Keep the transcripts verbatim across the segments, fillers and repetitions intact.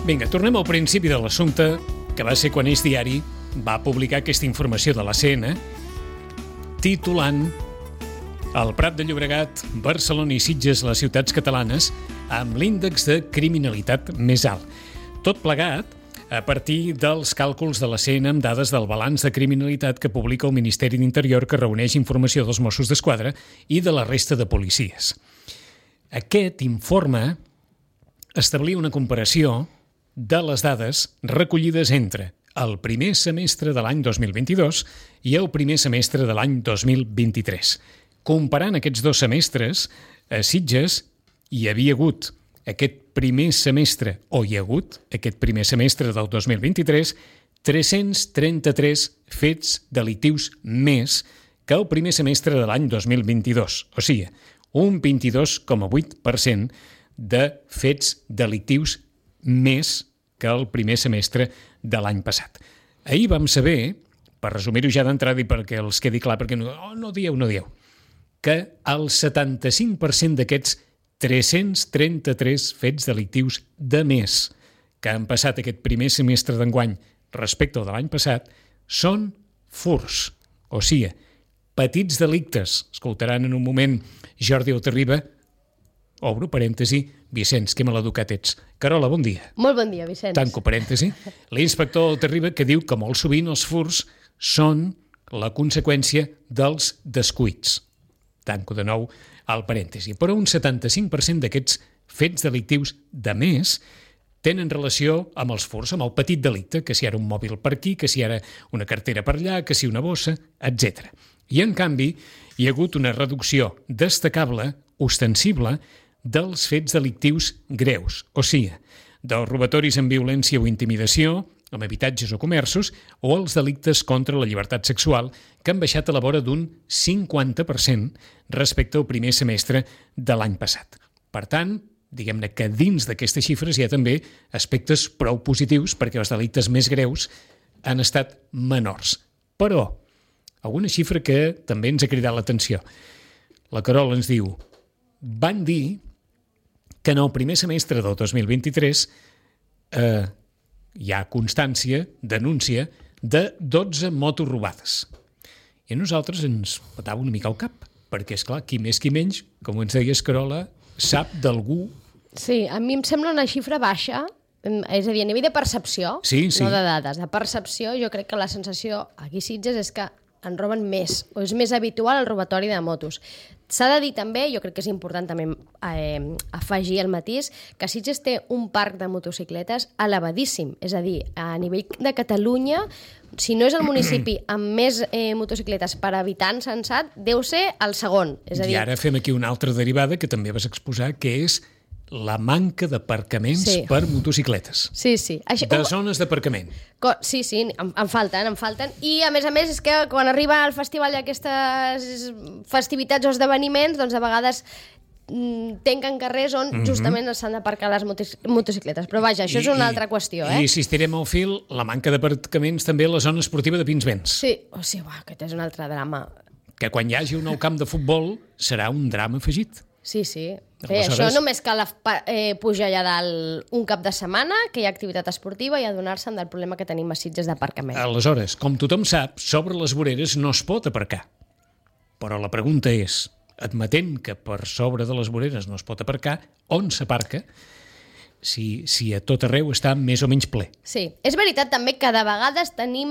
Vinga, tornem al principi de l'assumpte, que va ser quan Eix Diari va publicar aquesta informació de la C N, titulant El Prat de Llobregat, Barcelona i Sitges, les ciutats catalanes, amb l'índex de criminalitat més alt. Tot plegat a partir dels càlculs de la C N amb dades del balanç de criminalitat que publica el Ministeri d'Interior, que reuneix informació dels Mossos d'Esquadra i de la resta de policies. Aquest informe establia una comparació de les dades recollides entre el primer semestre de l'any dos mil vint-i-dos i el primer semestre de l'any dos mil vint-i-tres. Comparant aquests dos semestres, a Sitges hi havia hagut aquest primer semestre, o hi ha hagut aquest primer semestre del dos mil vint-i-tres, tres-cents trenta-tres fets delictius més que el primer semestre de l'any dos mil vint-i-dos. O sigui, un vint-i-dos coma vuit per cent de fets delictius més que el primer semestre de l'any passat. Ahir vam saber, per resumir-ho ja d'entrada i perquè els quedi clar, perquè no, oh, no dieu, no dieu, que el setanta-cinc per cent d'aquests tres-cents trenta-tres fets delictius de més que han passat aquest primer semestre d'enguany respecte al de l'any passat són furts, o sigui, petits delictes. Escoltaran en un moment Jordi Altarriba, obro parèntesi, Vicenç, que maleducat ets. Carola, bon dia. Molt bon dia, Vicenç. Tanco parèntesi. L'inspector Altarriba, que diu que molt sovint els furts són la conseqüència dels descuits. Tanco de nou el parèntesi. Però un setanta-cinc per cent d'aquests fets delictius de més tenen relació amb els furts, amb el petit delicte, que si ara un mòbil per aquí, que si ara una cartera per allà, que si una bossa, etcètera. I, en canvi, hi ha hagut una reducció destacable, ostensible, dels fets delictius greus, o sigui, dels robatoris amb violència o intimidació, amb habitatges o comerços, o els delictes contra la llibertat sexual, que han baixat a la vora d'un cinquanta per cent respecte al primer semestre de l'any passat. Per tant, diguem-ne que dins d'aquestes xifres hi ha també aspectes prou positius perquè els delictes més greus han estat menors. Però, alguna xifra que també ens ha cridat l'atenció. La Carola ens diu, van dir que en el primer semestre del dos mil vint-i-tres eh, hi ha constància, denúncia, de dotze motos robades. I a nosaltres ens patava una mica el cap, perquè, esclar, qui més qui menys, com ens deies, Carola, sap d'algú... Sí, a mi em sembla una xifra baixa, és a dir, a nivell de percepció, sí, sí. No de dades, de percepció, jo crec que la sensació aquí a Sitges és que en roben més, o és més habitual el robatori de motos. S'ha de dir també, jo crec que és important també eh, afegir el matís, que Sitges té un parc de motocicletes elevadíssim, és a dir, a nivell de Catalunya, si no és el municipi amb més eh, motocicletes per habitant censat, deu ser el segon. És a dir... I ara fem aquí una altra derivada que també vas exposar, que és la manca d'aparcaments sí. per motocicletes. Sí, sí. Això... De zones d'aparcament. Sí, sí, em, em falten, em falten. I, a més a més, és que quan arriba al festival d'aquestes festivitats o esdeveniments, doncs, a vegades tanquen carrers on mm-hmm. justament s'han d'aparcar les motocicletes. Però vaja, això I, és una i, altra qüestió, eh? I si estirem el fil, la manca d'aparcaments també a la zona esportiva de Pinsbens. Sí, o sigui, uah, aquest és un altre drama. Que quan hi hagi un nou camp de futbol serà un drama afegit. Sí, sí. Bé, Aleshores... Això només cal eh, pujar allà dalt un cap de setmana, que hi ha activitat esportiva, i adonar-se'n del problema que tenim a Sitges d'aparcament. Aleshores, com tothom sap, sobre les voreres no es pot aparcar. Però la pregunta és, admetent que per sobre de les voreres no es pot aparcar, on s'aparca? Si, si a tot arreu està més o menys ple. Sí, és veritat també que de vegades tenim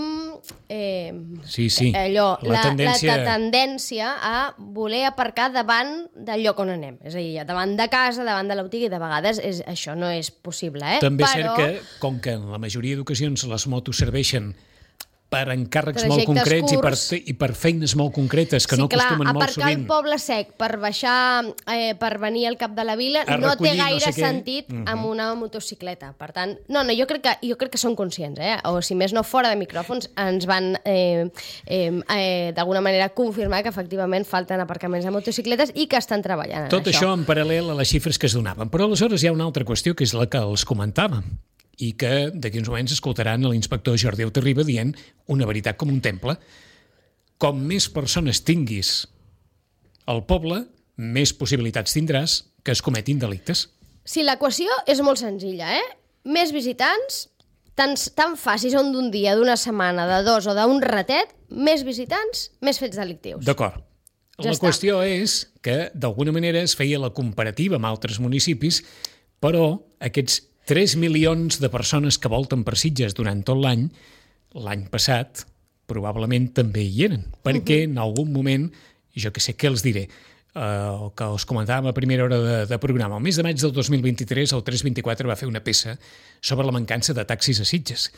eh, sí, sí. allò, la, la, tendència... la tendència a voler aparcar davant del lloc on anem. És a dir, davant de casa, davant de la botiga, i de vegades és, això no és possible. Eh? També és Però... cert que, com que en la majoria d'ocasions les motos serveixen per encàrrecs molt concrets i per, i per feines molt concretes que sí, no clar, acostumen molt sovint. Aparcar al Poble Sec per baixar, eh, per venir al cap de la vila, a no recollir, té gaire no sé sentit uh-huh. amb una motocicleta. Per tant, no, no, jo crec que, jo crec que són conscients, eh? O si més no, fora de micròfons, ens van eh, eh, eh, d'alguna manera confirmar que efectivament falten aparcaments de motocicletes i que estan treballant en Tot això. això en paral·lel a les xifres que es donaven. Però aleshores hi ha una altra qüestió, que és la que els comentàvem, i que d'aquí uns moments escoltaran l'inspector Jordi Altarriba dient una veritat com un temple. Com més persones tinguis al poble, més possibilitats tindràs que es cometin delictes. Sí, l'equació és molt senzilla, eh? més visitants, tan, tan fàcils són d'un dia, d'una setmana, de dos o d'un ratet, més visitants, més fets delictius. D'acord. Ja la està. Qüestió és que, d'alguna manera, es feia la comparativa amb altres municipis, però aquests tres milions de persones que volten per Sitges durant tot l'any, l'any passat, probablement també hi eren, perquè uh-huh. en algun moment, jo que sé què els diré, el uh, que us comentàvem a primera hora de, de programa, el mes de maig del dos mil vint-i-tres, el tres vint-i-quatre va fer una peça sobre la mancança de taxis a Sitges.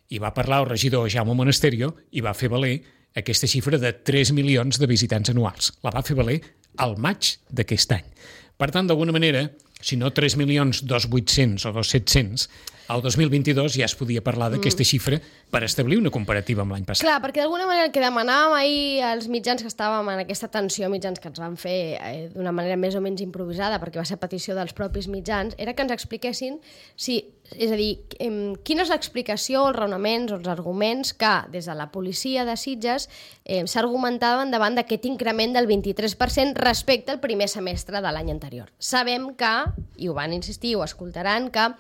I va parlar el regidor Jaume Monasterio i va fer valer aquesta xifra de tres milions de visitants anuals. La va fer valer al maig d'aquest any. Per tant, d'alguna manera, si no tres milions dos mil vuit-cents o dos mil set-cents, al dos mil vint-i-dos ja es podia parlar d'aquesta xifra per establir una comparativa amb l'any passat. Clar, perquè d'alguna manera el que demanàvem ahir als mitjans que estàvem en aquesta tensió, mitjans que ens van fer eh, d'una manera més o menys improvisada, perquè va ser petició dels propis mitjans, era que ens expliquessin si, és a dir, eh, quina és l'explicació, els raonaments o els arguments que des de la policia de Sitges eh, s'argumentaven davant d'aquest increment del vint-i-tres per cent respecte al primer semestre de l'any anterior. Sabem que, i ho van insistir, ho escoltaran, que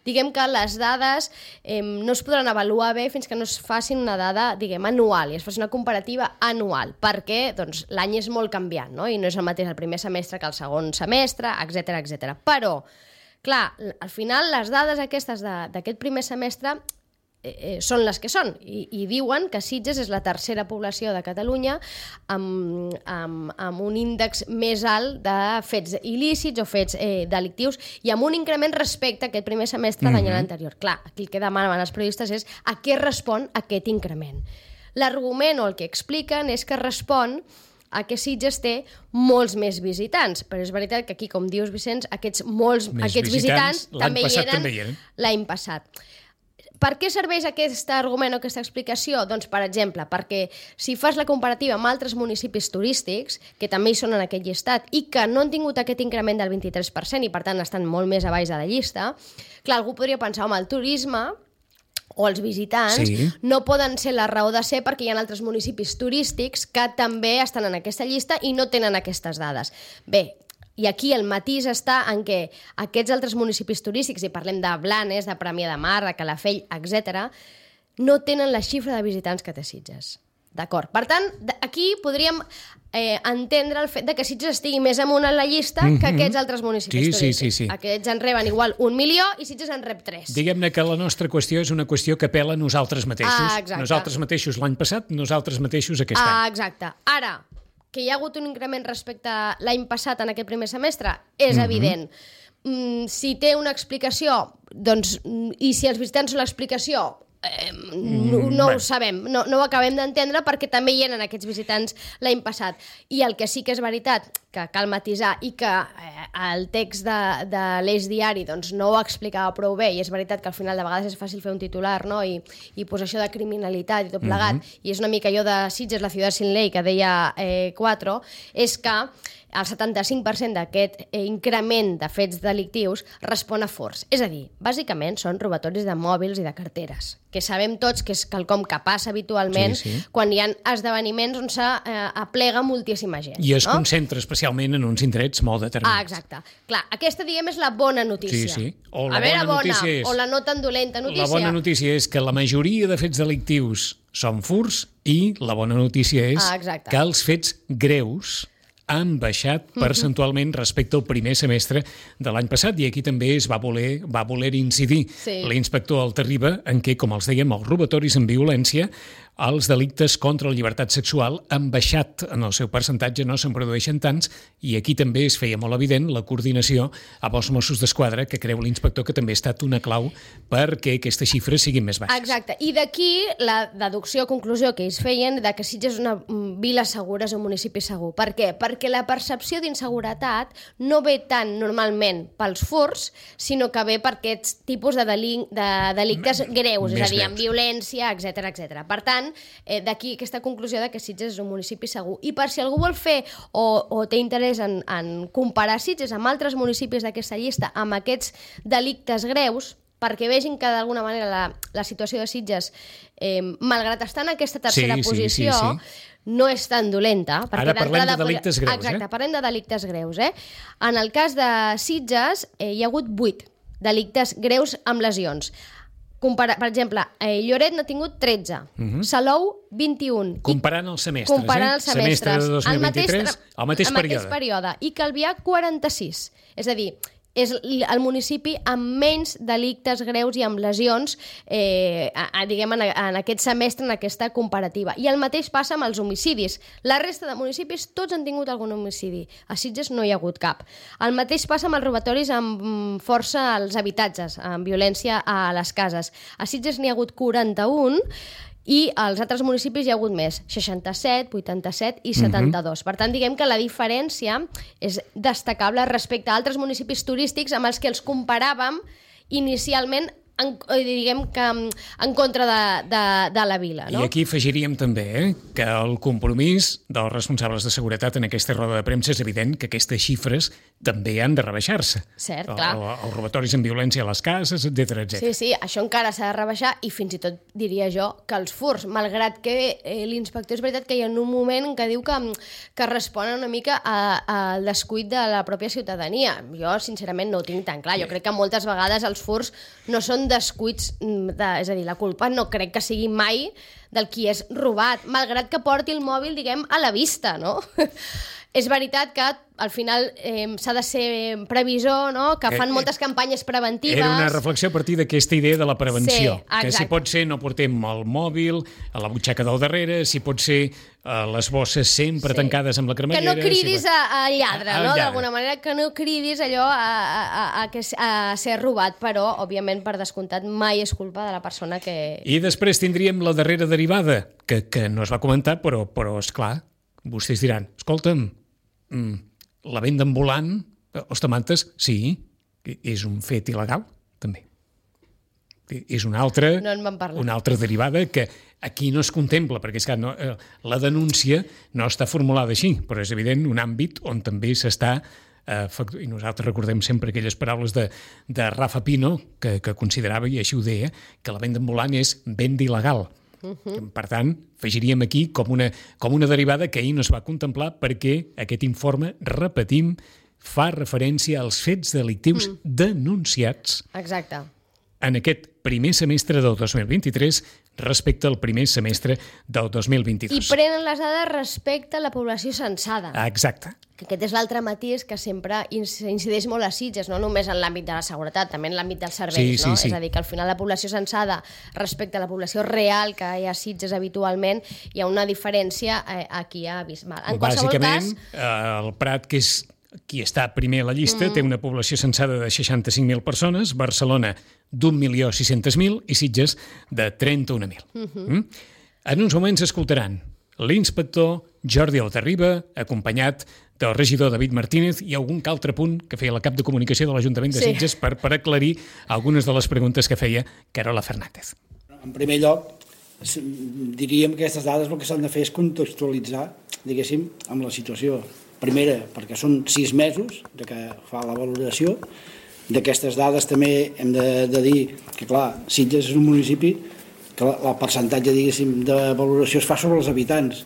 diguem que les dades eh, no es podran avaluar bé fins que no es facin una dada, diguem, anual, i es faci una comparativa anual, perquè doncs, l'any és molt canviant, no? I no és el mateix el primer semestre que el segon semestre, etcètera, etcètera. Però, clar, al final les dades aquestes d'aquest primer semestre eh, són les que són, i, i diuen que Sitges és la tercera població de Catalunya amb, amb, amb un índex més alt de fets il·lícits o fets eh, delictius i amb un increment respecte a aquest primer semestre mm-hmm. de l'any anterior. Clar, aquí el que demanen els periodistes és a què respon aquest increment. L'argument o el que expliquen és que respon a que Sitges té molts més visitants, però és veritat que aquí, com dius, Vicenç, aquests, molts, aquests visitants, visitants també, hi eren també hi eren l'any passat. Per què serveix aquest argument o aquesta explicació? Doncs, per exemple, perquè si fas la comparativa amb altres municipis turístics, que també hi són en aquest llistat, i que no han tingut aquest increment del vint-i-tres per cent i, per tant, estan molt més a baix de la llista, clar, algú podria pensar, home, el turisme o els visitants sí. no poden ser la raó de ser perquè hi ha altres municipis turístics que també estan en aquesta llista i no tenen aquestes dades. Bé, i aquí el matís està en què aquests altres municipis turístics, i parlem de Blanes, de Premià de Mar, de Calafell, etcètera, no tenen la xifra de visitants que té Sitges. D'acord? Per tant, aquí podríem eh, entendre el fet de que Sitges estigui més amunt en la llista mm-hmm. que aquests altres municipis sí, turístics. Sí, sí, sí. Aquests en reben igual un milió i Sitges en rep tres. Diguem-ne que la nostra qüestió és una qüestió que apela a nosaltres mateixos. Ah, exacte. Nosaltres mateixos l'any passat, nosaltres mateixos aquest ah, any. Exacte. Ara, que hi ha hagut un increment respecte a l'any passat en aquest primer semestre, és mm-hmm. evident. Mm, si té una explicació, doncs, i si els visitants són l'explicació, eh, no, no mm, ho sabem, no, no ho acabem d'entendre perquè també hi eren aquests visitants l'any passat. I el que sí que és veritat, que cal matisar i que eh, el text de, de l'Eix Diari doncs, no ho explicava prou bé, i és veritat que al final de vegades és fàcil fer un titular, no? I, i posar això de criminalitat i tot plegat, mm-hmm. i és una mica allò de Sitges, la ciutat sin ley, que deia eh, Quatre, és que el setanta-cinc per cent d'aquest eh, increment de fets delictius respon a furts. És a dir, bàsicament són robatoris de mòbils i de carteres, que sabem tots que és quelcom que passa habitualment sí, sí. quan hi ha esdeveniments on s'aplega eh, moltíssima gent. I es no? concentra especialment en uns indrets molt determinats. Ah, exacte. Clar, aquesta, diguem, és la bona notícia. Sí, sí. O la a veure, bona bona, notícia és... o la no tan dolenta notícia. La bona notícia és que la majoria de fets delictius són furts i la bona notícia és ah, que els fets greus han baixat percentualment respecte al primer semestre de l'any passat, i aquí també es va voler, va voler incidir sí. l'inspector Altarriba en què, com els dèiem, els robatoris amb violència, els delictes contra la llibertat sexual han baixat en el seu percentatge, no se'n produeixen tants, i aquí també es feia molt evident la coordinació amb els Mossos d'Esquadra, que creu l'inspector que també ha estat una clau perquè aquestes xifres siguin més baixes. Exacte, i d'aquí la deducció, conclusió que ells feien de que Sitges és una vila segura, és un municipi segur. Per què? Perquè la percepció d'inseguretat no ve tant normalment pels furts, sinó que ve per aquests tipus de, delin de delictes greus, més és a dir, amb violència, etcètera, etcètera. Per tant, Eh, d'aquí aquesta conclusió de que Sitges és un municipi segur. I per si algú vol fer o, o té interès en, en comparar Sitges amb altres municipis d'aquesta llista amb aquests delictes greus, perquè vegin que d'alguna manera la, la situació de Sitges, eh, malgrat estar en aquesta tercera sí, posició, sí, sí, sí. no és tan dolenta. Ara parlem de delictes greus. Exacte, eh? parlem de delictes greus. Eh? En el cas de Sitges eh, hi ha hagut vuit delictes greus amb lesions. Compara, per exemple, eh, Lloret n'ha tingut tretze, uh-huh. Salou vint-i-un. Comparant els semestres, comparant eh? els semestres. Semestre de dos mil vint-i-tres, el mateix, el mateix període. I Calvià, quaranta-sis. És a dir, és el municipi amb menys delictes greus i amb lesions, eh, a, a, diguem, en, en aquest semestre, en aquesta comparativa. I el mateix passa amb els homicidis. La resta de municipis tots han tingut algun homicidi. A Sitges no hi ha hagut cap. El mateix passa amb els robatoris amb força als habitatges, amb violència a les cases. A Sitges n'hi ha hagut quaranta-un, i als altres municipis hi ha hagut més, seixanta-set, vuitanta-set i setanta-dos. Uh-huh. Per tant, diguem que la diferència és destacable respecte a altres municipis turístics amb els que els comparàvem inicialment en, diguem que en contra de, de, de la vila. No? I aquí afegiríem també eh, que el compromís dels responsables de seguretat en aquesta roda de premsa és evident que aquestes xifres també han de rebaixar-se. Cert, clar. El, els robatoris amb violència a les cases, etcètera, etcètera. Sí, sí, això encara s'ha de rebaixar i fins i tot diria jo que els furts, malgrat que eh, l'inspector és veritat que hi ha un moment en què diu que, que responen una mica al descuit de la pròpia ciutadania. Jo, sincerament, no ho tinc tan clar. Jo crec que moltes vegades els furts no són descuits, de, és a dir, la culpa no crec que sigui mai del qui és robat, malgrat que porti el mòbil, diguem, a la vista, no? És veritat que al final eh, s'ha de ser previsor, no? Que fan moltes campanyes preventives. Era una reflexió a partir d'aquesta idea de la prevenció. Sí, que si pot ser no portem el mòbil a la butxaca del darrere, si pot ser eh, les bosses sempre sí. tancades amb la cremallera... Que no cridis si... a, a lladre, a, a no? Lladre. D'alguna manera, que no cridis allò a, a, a, a, a ser robat, però, òbviament, per descomptat, mai és culpa de la persona que... I després tindríem la darrera derivada, que, que no es va comentar, però, però esclar, vostès diran, escolta'm, Mm, la venda ambulant, ostamantes, sí, és un fet il·legal, també. És una altra, no en vam parlar. Una altra derivada que aquí no es contempla, perquè és que no, la denúncia no està formulada així, però és evident un àmbit on també s'està, eh, i nosaltres recordem sempre aquelles paraules de, de Rafa Pino, que, que considerava, i així ho deia, que la venda ambulant és venda il·legal. Uh-huh. Per tant, afegiríem aquí com una, com una derivada que ahir no es va contemplar perquè aquest informe, repetim, fa referència als fets delictius mm. denunciats Exacte. en aquest primer semestre del dos mil vint-i-tres respecte al primer semestre del dos mil vint-i-dos. I prenen les dades respecte a la població censada. Exacte. Que aquest és l'altre matís que sempre incideix molt a Sitges, no només en l'àmbit de la seguretat, també en l'àmbit dels serveis, sí, no? Sí, sí. És a dir, que al final la població censada respecte a la població real que hi ha a Sitges habitualment, hi ha una diferència eh, aquí abismal. En qualsevol Bàsicament, cas... eh, el Prat, que és qui està primer a la llista, mm. té una població censada de seixanta-cinc mil persones, Barcelona d'un milió sis-cents mil i Sitges de trenta-un mil. Mm-hmm. Mm? En uns moments escoltaran l'inspector Jordi Altarriba, acompanyat del regidor David Martínez i algun que altre punt que feia la cap de comunicació de l'Ajuntament de Sitges sí. per, per aclarir algunes de les preguntes que feia Carola Fernández. En primer lloc, diríem que aquestes dades el que s'han de fer és contextualitzar, diguéssim, amb la situació. Primera, perquè són sis mesos de que fa la valoració. D'aquestes dades també hem de, de dir que, clar, Sitges és un municipi que el percentatge, diguéssim, de valoració es fa sobre els habitants.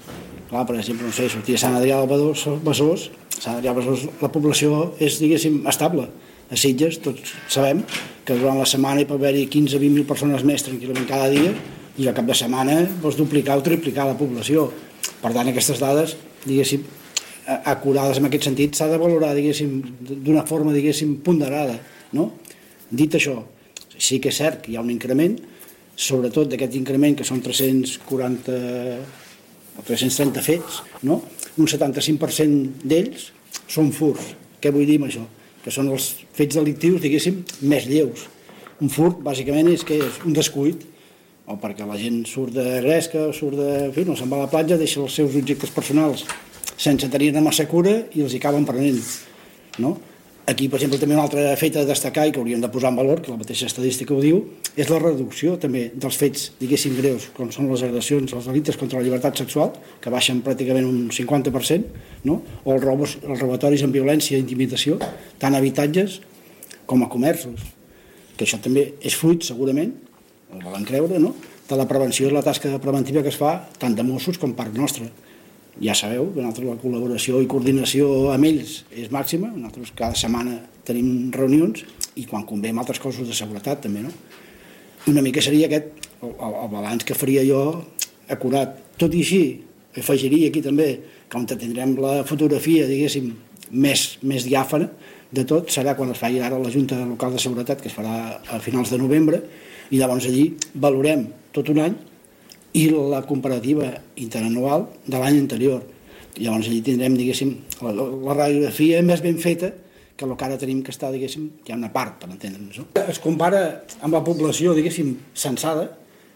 Clar, per exemple, no sé, sortir a Sant Adrià del Besòs, Sant Adrià del Besòs, la població és, diguéssim, estable. A Sitges, tots sabem que durant la setmana hi pot haver-hi quinze a vint mil persones més tranquil·lament cada dia i al cap de setmana vols duplicar o triplicar la població. Per tant, aquestes dades, diguéssim, acurades en aquest sentit, s'ha de valorar, diguéssim, d'una forma, diguéssim, ponderada, no? Dit això, sí que és cert que hi ha un increment, sobretot d'aquest increment, que són tres-cents quaranta o tres-cents trenta fets, no? Un setanta-cinc per cent d'ells són furts. Què vull dir amb això? Que són els fets delictius, diguéssim, més lleus. Un furt, bàsicament, és que és un descuit, o perquè la gent surt de gresca, o surt de... En fi, no se'n va a la platja, deixa els seus objectes personals sense tenir-ne massa cura i els hi acaben prenent, no? Aquí, per exemple, també un altre fet a destacar i que hauríem de posar en valor, que la mateixa estadística ho diu, és la reducció també dels fets, diguéssim, greus, com són les agressions, els delictes contra la llibertat sexual, que baixen pràcticament un cinquanta per cent, no? O els, robos, els robatoris amb violència i intimidació, tant a habitatges com a comerços, que això també és fruit, segurament, el volen creure, no? De la prevenció i la tasca preventiva que es fa tant de Mossos com part nostra. Ja sabeu que nosaltres la col·laboració i coordinació amb ells és màxima, nosaltres cada setmana tenim reunions i quan convé amb altres cossos de seguretat també, no? Una mica seria aquest el, el balanç que faria jo acurat. Tot i així, afegiria aquí també que on tindrem la fotografia, diguéssim, més, més diàfana de tot, serà quan es faci ara la Junta Local de Seguretat, que es farà a finals de novembre, i llavors allí valorem tot un any i la comparativa interanual de l'any anterior. I llavors allí tindrem, diguéssim, la, la radiografia més ben feta que el que ara tenim que està, diguéssim, hi ha una part, per entendre'ns. No? Es compara amb la població, diguéssim, censada.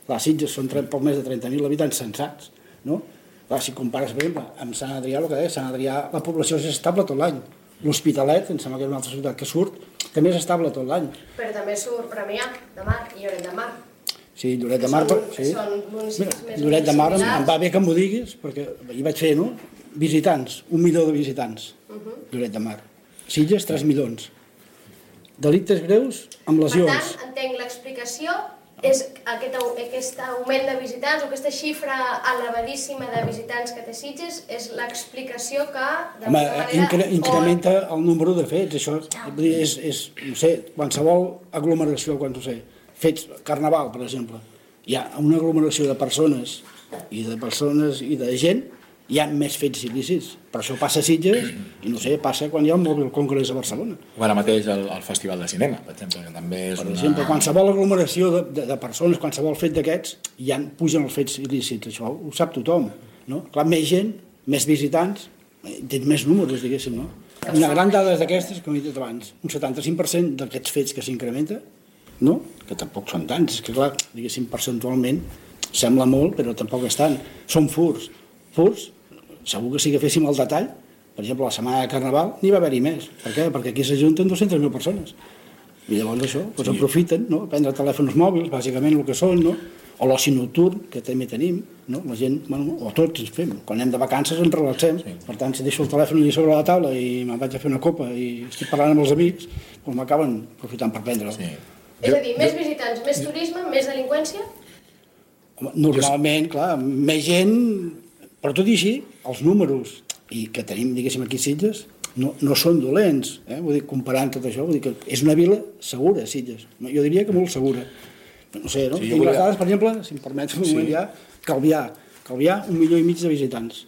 Les Sitges són poc més de trenta mil habitants censats, no? Clar, si compares, per exemple, amb Sant Adrià, el que deia, Sant Adrià, la població és estable tot l'any. L'Hospitalet, em sembla que és una altra ciutat que surt, també és estable tot l'any. Però també surt Premià de Mar i Lloret de Mar. Sí, Lloret de Mar... Són, sí. són municipis més Lloret de Mar em, em va bé que m'ho diguis, perquè hi vaig fer, no? Visitants, un milió de visitants, uh -huh. Lloret de Mar. Sitges, tres milions. Delictes greus amb lesions. Per tant, entenc l'explicació és aquest, aquest augment de visitants o aquesta xifra elevadíssima de visitants que té Sitges és l'explicació que Home, manera, incrementa o... el número de fets, això és, és, no sé, qualsevol aglomeració, quan ho sé, fets, carnaval, per exemple, hi ha una aglomeració de persones i de persones i de gent, hi ha més fets il·lícits. Per això passa a Sitges i, no sé, passa quan hi ha un Mobile Congress a Barcelona. O ara mateix el, el Festival de Cinema, per exemple, que també és per una... exemple, qualsevol aglomeració de, de, de persones, qualsevol fet d'aquests, ja pugen els fets il·lícits. Això ho sap tothom, no? Clar, més gent, més visitants, tens més números, diguéssim, no? Una gran dada d'aquestes, com he dit abans, un setanta-cinc per cent d'aquests fets que s'incrementa, no? Que tampoc són tants, és que clar, diguéssim, percentualment sembla molt, però tampoc és tant. Són furs. Furs, segur que si agaféssim el detall, per exemple, la setmana de Carnaval n'hi va haver-hi més. Per què? Perquè aquí s'ajunten dues-centes mil persones. I llavors això, doncs sí. Aprofiten, no? Prendre telèfons mòbils, bàsicament el que són, no? O l'oci nocturn, que també tenim, no? La gent, bueno, o tots ens fem. Quan anem de vacances ens relaxem. Sí. Per tant, si deixo el telèfon allà sobre la taula i me'n vaig a fer una copa i estic parlant amb els amics, doncs m'acaben aprofitant per prendre'l. Sí. És a dir, més visitants, més turisme, més delinqüència? Normalment, clar, més gent... Però tot i així, els números i que tenim, diguéssim, aquí a Sitges no, no són dolents, eh? Vull dir, comparant tot això, vull dir que és una vila segura, Sitges. Jo diria que molt segura. No sé, no? Sí, tinc volia... les dades, per exemple, si em permets un moment sí. ja, Calvià. Calvià, un milió i mig de visitants.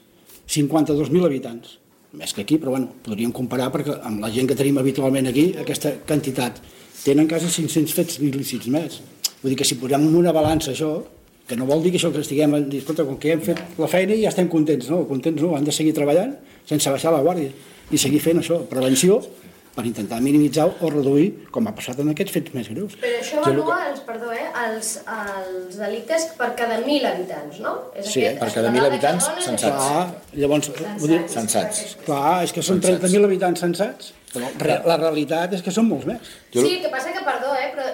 cinquanta-dos mil habitants. Més que aquí, però bueno, podríem comparar perquè amb la gent que tenim habitualment aquí, aquesta quantitat. Tenen quasi cinc-cents fets il·lícits més. Vull dir que si posem en una balança això, que no vol dir que això que estiguem a dir, escolta, com que hem fet la feina i ja estem contents, no, contents no, han de seguir treballant sense baixar la guàrdia i seguir fent això, prevenció, per intentar minimitzar o reduir, com ha passat en aquests fets més greus. Però això avalua, els, perdó, eh, els, els delictes per cada mil habitants, no? És sí, aquest, per cada mil habitants censats. Clar, llavors, vull dir, censats. Clar, és que són trenta mil habitants censats, però la realitat és que són molts més. Sí, el que passa que, perdó, eh, però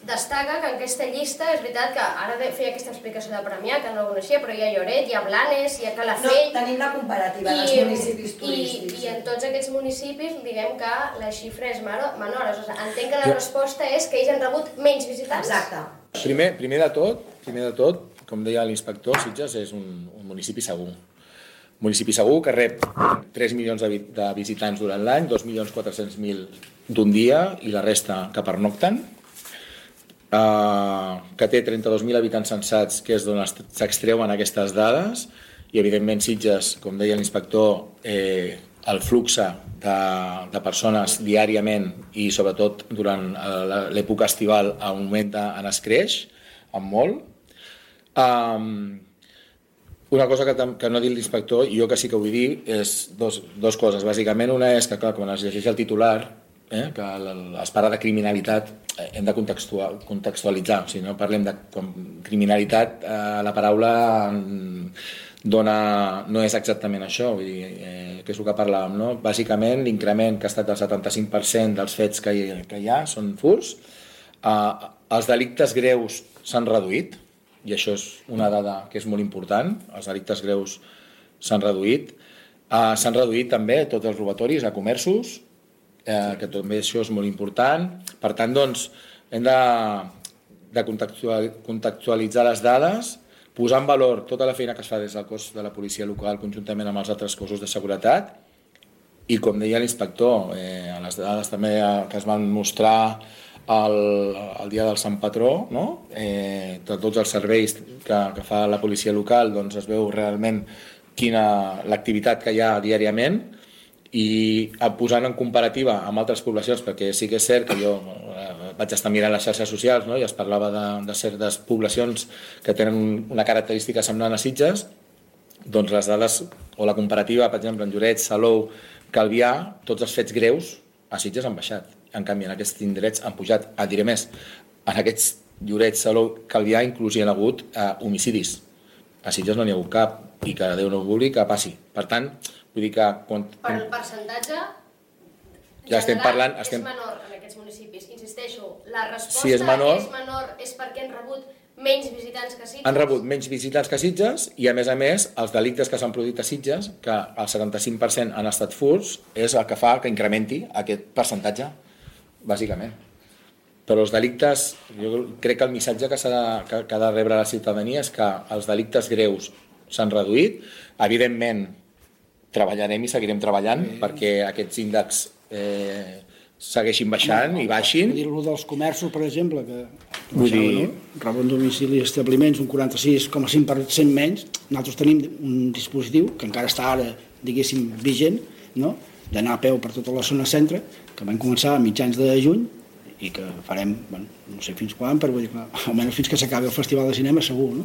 destaca que en aquesta llista, és veritat que ara feia aquesta explicació de Premià, que no ho coneixia, però hi ha Lloret, hi ha Blanes, hi ha Calafell... No, tenim la comparativa dels municipis turístics. I, I en tots aquests municipis, diguem que la xifra és menor. O sigui, entenc que la resposta és que ells han rebut menys visitants. Exacte. Primer, primer de tot, primer de tot, com deia l'inspector, Sitges és un, un municipi segur. Un municipi segur que rep tres milions de, de visitants durant l'any, dos milions quatre-cents mil d'un dia i la resta que pernocten. Uh, que té trenta-dos mil habitants censats, que és d'on s'extreuen aquestes dades, i evidentment Sitges, com deia l'inspector, eh, el flux de, de persones diàriament i sobretot durant l'època estival augmenta, en es creix, en molt. Um, una cosa que, que no ha dit l'inspector, i jo que sí que vull dir, és dos, dos coses. Bàsicament, una és que, clar, quan es llegeix el titular, eh, que es parla de criminalitat, hem de contextualitzar, o sigui, no parlem de criminalitat, eh, la paraula dona, no és exactament això, vull dir, eh, que és el que parlàvem, no? Bàsicament, l'increment que ha estat del setanta-cinc per cent dels fets que hi, que hi ha són furts, eh, els delictes greus s'han reduït, i això és una dada que és molt important, els delictes greus s'han reduït, eh, s'han reduït també tots els robatoris a comerços, Eh, que també això és molt important. Per tant, doncs, hem de, de contextualitzar les dades, posar en valor tota la feina que es fa des del cos de la policia local conjuntament amb els altres cossos de seguretat i, com deia l'inspector, eh, a les dades també que es van mostrar el, el dia del Sant Patró, no? eh, de tots els serveis que, que fa la policia local, doncs es veu realment quina l'activitat que hi ha diàriament, i posant en comparativa amb altres poblacions, perquè sí que és cert que jo eh, vaig estar mirant les xarxes socials, no? I es parlava de, de certes poblacions que tenen una característica semblant a Sitges, doncs les dades o la comparativa, per exemple, en Lloret, Salou, Calvià, tots els fets greus a Sitges han baixat. En canvi, en aquests indrets han pujat. Ah, diré més, en aquests Lloret, Salou, Calvià inclús hi ha hagut eh, homicidis. A Sitges no n'hi ha hagut cap, i que Déu no vulgui que passi. Per tant, vull dir que... Quan... Però el percentatge ja estem parlant, estem... és menor en aquests municipis. Insisteixo, la resposta si és menor, és menor és perquè han rebut menys visitants que Sitges? Han rebut menys visitants que Sitges i, a més a més, els delictes que s'han produït a Sitges, que el setanta-cinc per cent han estat furts, és el que fa que incrementi aquest percentatge, bàsicament. Però els delictes, jo crec que el missatge que, de, que, que ha de rebre la ciutadania és que els delictes greus s'han reduït. Evidentment, treballarem i seguirem treballant sí. perquè aquests índexs eh, segueixin baixant no, no, i baixin. Vull dir-lo dels comerços, per exemple, que vull dir... no? Roben domicili i establiments un quaranta-sis coma cinc per cent menys. Nosaltres tenim un dispositiu que encara està ara, diguéssim, vigent, no? D'anar a peu per tota la zona centre, que vam començar a mitjans de juny i que farem, bueno, no sé fins quan, però vull dir que almenys fins que s'acabi el Festival de Cinema segur, no?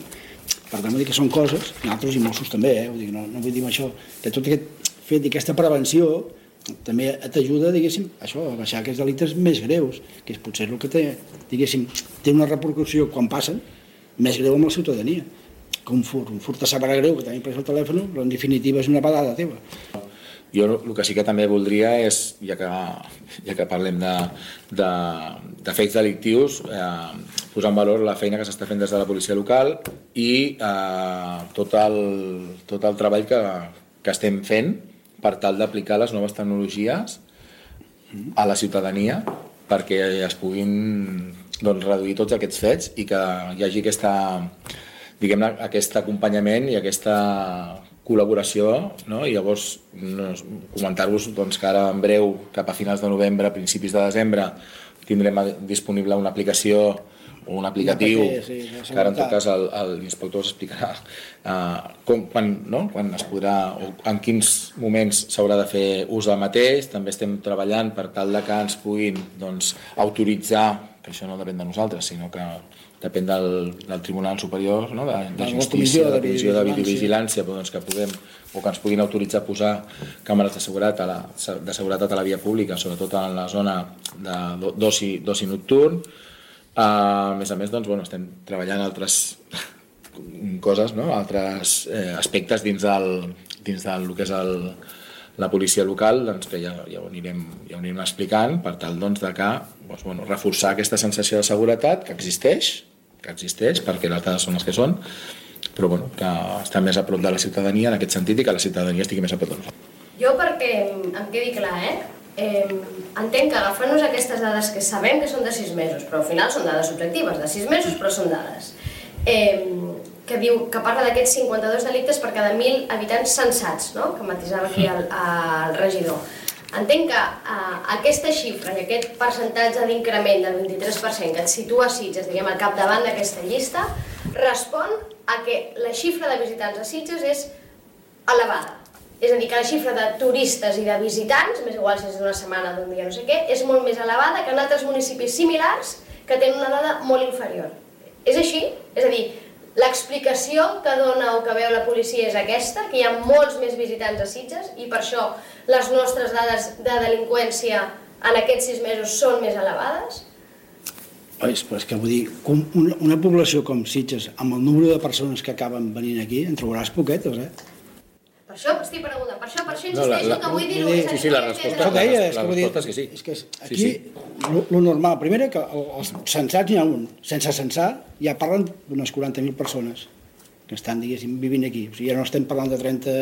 Per tant, vull dir que són coses, nosaltres i Mossos també, eh? Vull dir, no, no vull dir això, que tot aquest fet d'aquesta prevenció també t'ajuda, diguéssim, això, a baixar aquests delictes més greus, que és potser el que té, diguéssim, té una repercussió quan passen més greu amb la ciutadania. Que un furt, un furt a saber greu, que tenim pres el telèfon, però en definitiva és una pedada teva. Jo el que sí que també voldria és, ja que, ja que parlem de, de, de fets delictius, eh, posar en valor la feina que s'està fent des de la policia local i eh, tot, el, tot el treball que, que estem fent per tal d'aplicar les noves tecnologies a la ciutadania perquè es puguin doncs, reduir tots aquests fets i que hi hagi aquesta, diguem-ne, aquest acompanyament i aquesta col·laboració, no? I llavors no, comentar-vos doncs, que ara en breu, cap a finals de novembre, principis de desembre, tindrem disponible una aplicació o un aplicatiu, sí, que ara en tot cas l'inspector us explicarà uh, com, quan, no? quan es podrà o en quins moments s'haurà de fer ús del mateix. També estem treballant per tal de que ens puguin doncs, autoritzar, que això no depèn de nosaltres, sinó que depèn del, del Tribunal Superior, no? de, de Justícia, de la Comissió de Videovigilància, doncs que puguem, o que ens puguin autoritzar a posar càmeres de seguretat a la, de seguretat a la via pública, sobretot en la zona d'oci nocturn. Uh, a més a més, doncs, bueno, estem treballant altres coses, no? altres eh, aspectes dins del, dins del que és el, la policia local, doncs, que ja, ja, ho anirem, ja ho anirem explicant, per tal doncs, de que, doncs, bueno, reforçar aquesta sensació de seguretat que existeix, que existeix perquè les dades són les que són, però bueno, que està més a prop de la ciutadania en aquest sentit i que la ciutadania estigui més a prop de nosaltres. Jo perquè em quedi clar, eh? Eh, entenc que agafant-nos aquestes dades que sabem que són de sis mesos, però al final són dades objectives, de sis mesos però són dades, eh, que diu que parla d'aquests cinquanta-dos delictes per cada mil habitants censats, no? Que matisava aquí el, el regidor. Entenc que eh, aquesta xifra i aquest percentatge d'increment del vint-i-tres per cent que et situa Sitges, diguem, al capdavant d'aquesta llista, respon a que la xifra de visitants a Sitges és elevada. És a dir, que la xifra de turistes i de visitants, més igual si és d'una setmana, d'un dia, no sé què, és molt més elevada que en altres municipis similars que tenen una dada molt inferior. És així? És a dir, l'explicació que dona o que veu la policia és aquesta, que hi ha molts més visitants a Sitges i per això les nostres dades de delinqüència en aquests sis mesos són més elevades? Oi, però és que vull dir, una, una població com Sitges, amb el número de persones que acaben venint aquí, en trobaràs poquetes, eh? Per això estic preguntant, per això, per això insisteixo no, la, la, que vull dir-ho. Sí, sí, la resposta, la, la, la resposta és que sí. És que aquí, sí, sí. Lo, lo normal, primer que els censats n'hi ha un, sense censar ja parlen d'unes quaranta mil persones que estan, diguéssim, vivint aquí. O sigui, ja no estem parlant de trenta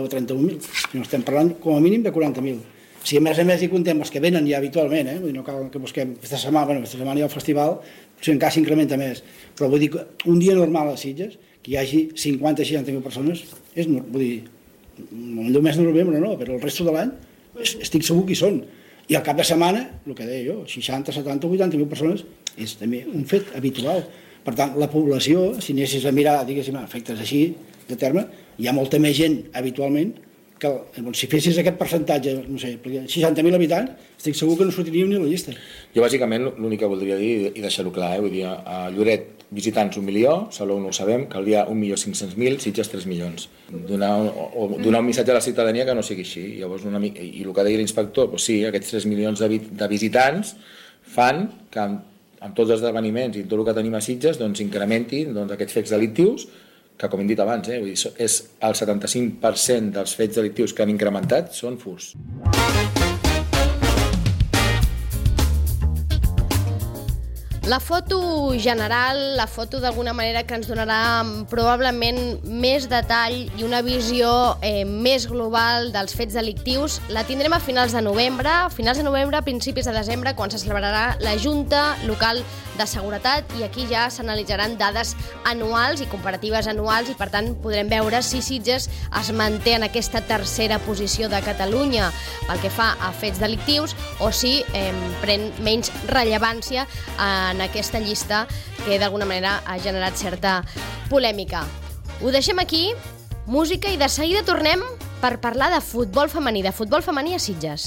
o trenta-un mil, sinó estem parlant com a mínim de quaranta mil. Si a més a més hi contem els que venen ja habitualment, eh? Vull dir, no cal que busquem aquesta setmana, bueno, aquesta setmana hi ha el festival, potser encara s'incrementa més, però vull dir que un dia normal a Sitges, que hi hagi cinquanta o seixanta mil persones, és, vull dir, el mes de novembre no, però el resto de l'any estic segur que hi són. I al cap de setmana, el que deia jo, seixanta, setanta, vuitanta mil persones és també un fet habitual. Per tant, la població, si anessis a mirar, diguéssim, efectes així de terme, hi ha molta més gent habitualment que doncs, si fessis aquest percentatge, no sé, seixanta mil habitants, estic segur que no sortiríem ni a la llista. Jo bàsicament l'únic que voldria dir, i deixar-ho clar, eh? Vull dir, a Lloret visitants un milió, Salou no ho sabem, Calvià un milió cinc-cents mil, Sitges tres milions. Donar un, o donar un missatge a la ciutadania que no sigui així. Llavors, una, i el que deia l'inspector, doncs sí, aquests tres milions de, de visitants fan que amb, amb tots els esdeveniments i tot el que tenim a Sitges doncs, incrementin doncs, aquests fets delictius que, com hem dit abans, eh, vull dir, és el setanta-cinc per cent dels fets delictius que han incrementat són furts. La foto general, la foto d'alguna manera que ens donarà probablement més detall i una visió eh, més global dels fets delictius la tindrem a finals de novembre, a finals de novembre, a principis de desembre, quan se celebrarà la Junta Local de Seguretat i aquí ja s'analitzaran dades anuals i comparatives anuals i per tant podrem veure si Sitges es manté en aquesta tercera posició de Catalunya pel que fa a fets delictius o si eh, pren menys rellevància en aquesta llista que d'alguna manera ha generat certa polèmica. Ho deixem aquí, música, i de seguida tornem per parlar de futbol femení, de futbol femení a Sitges.